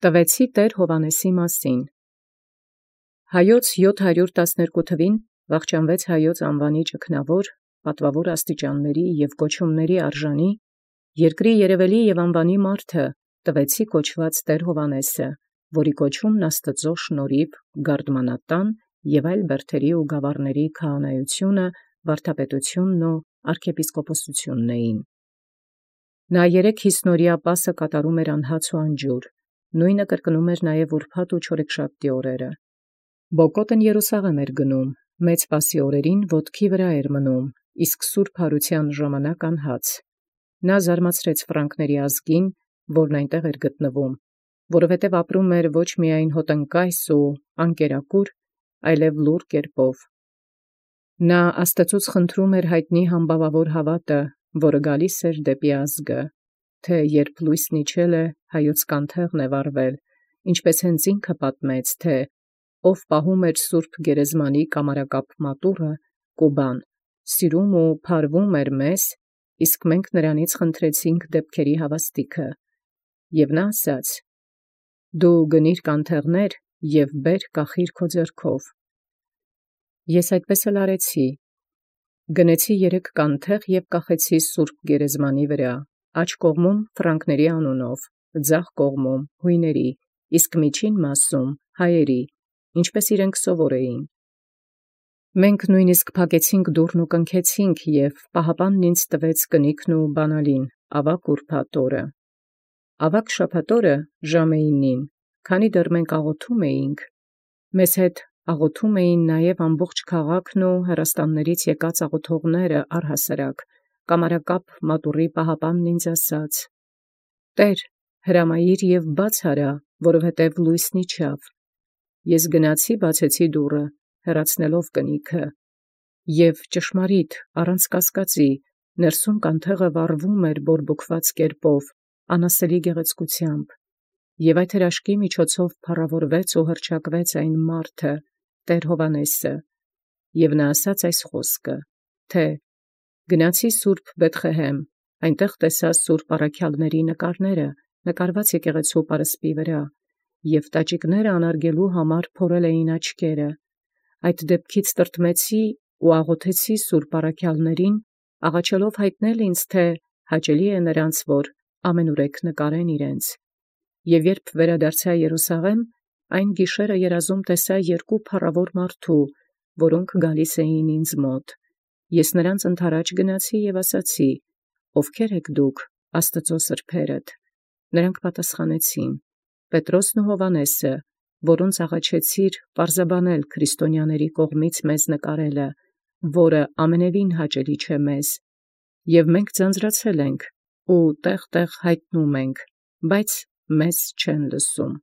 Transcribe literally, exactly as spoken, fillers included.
Տվեցի Տեր Հովհաննեսի մասին։ Հայոց յոթ հարյուր տասներկու թվին վախճանվեց Հայոց անուանի ճգնաւոր, պատուավոր աստիճանացն և կոչումացն արժանի, երկրի երևելի և անուանի մարդը տվեցի կոչված Տեր Հովհաննեսը, որի կոչումն Աստուծոյ շնորհիւ գարդմանատան և այլ բերդացն ու գաւառացն քահանայութիւնը, վարդապետութիւնն ու արքեպիսկոպոսութիւնն էին։ Նա երեք յիսնօրյա պասը կատարում էր անհաց ու անջուր, նոյնը կրկնում էր նաև ուրբաթ ու չորեքշաբթի օրերը։ Բոկոտն Երուսաղէմ էր գնում, մեծ պասի օրերին ոտքի վրա էր մնում, իսկ սուրբ յարութեան ժամանակ անհաց։ Նա զարմացրեց Ֆրանկների ազգին, որն այնտեղ էր գտնվում, որովհետև ապրում էր ոչ միայն հոտնկայս ու անկերակուր, այլև լուռ կերպով։ Նա Աստուծոց խնդրում էր յայտնի համբաւավոր հաւատը, որը գալիս էր դեպի ազգը, թէ երբ լույսն իջել է, հայոց կանթեղն է վառվել, ինչպէս հենց ինքը պատմեց, թէ «Ով պահում էր սուրբ գերեզմանի կամարակապ մատուռը, Կուբան, սիրում ու փարվում էր մեզ, իսկ մենք նրանից խնդրեցինք դեպքերի հաւաստիքը։ Եւ նա ասաց. «Դու գնիր կանթեղներ և բեր կախիր քո ձեռքով»։ Ես այդպես էլ արեցի. գնեցի երեք կանթեղ և կախեցի սուրբ գերեզմանի վրա, աջ կողմում Ֆրանկների անունով, ձախ կողմում յոյների, իսկ միջին մասում հայերի, ինչպէս իրենք սովոր էին։ Մենք նոյնպիսկ փակեցինք դուռն ու կնքեցինք, և պահապանն ինձ տվեց կնիքն ու բանալին աւագ ուրբաթ օրը։ Աւագ շաբաթ օրը ժամենին, քանի դեռ մենք աղոթում էինք, մեզ հետ աղոթում էին նաև ամբողջ քաղաքն ու հեռաստանաց եկած աղոթողները առհասարակ, կամարակապ մատուռի պահապանն ինձ ասաց. «Տէր, հրամայիր և բաց հարա, որովհետև լույսն իջավ»։ Ես գնացի բացեցի դուռը, հեռացնելով կնիքը, և ճշմարիտ առանց կասկածի ներսում կանթեղը վառվում էր բորբոքված կերպով, անասելի գեղեցկութեամբ, և այդ հրաշքի միջոցով փառաւորվեց ու հռչակվեց այն մարդը, Տեր Հովհաննեսը, և նա ասաց այս խոսքը, թէ «Գնացի սուրբ Բեթղեհեմ, այնտեղ տեսայ սուրբ առաքեալսն նկարները նկարված եկեղեցու պարսպի վրա, և տաճիկս անարգելոյ համար փորել էին աչքերը. այդ դեպքից տրտմեցի ու աղոթեցի սուրբ առաքեալսն, աղաչելով յայտնել ինձ, թէ հաճելի է նրանց, որ ամենուրեք նկարեն իրենց։ Եւ երբ վերադարձայ Երուսաղէմ, այն գիշերը երազում տեսայ երկու փառաւոր մարդու, որոնք գալիս էին ինձ մոտ։ Ես նրանց ընդառաջ գնացի և ասացի. «Ովքե՞ր եք դուք, Աստուծոյ սրբերդ»։ Նրանք պատասխանեցին. «Պետրոսն ու Հովհաննեսը, որոնց աղաչեցիր պարզաբանել քրիստոնյաների կողմից մեզ նկարելը, որը ամենևին հաճելի չէ մեզ, և մենք ձանձրացել ենք ու տեղ տեղ յայտնում ենք, բայց մեզ չեն լսում»։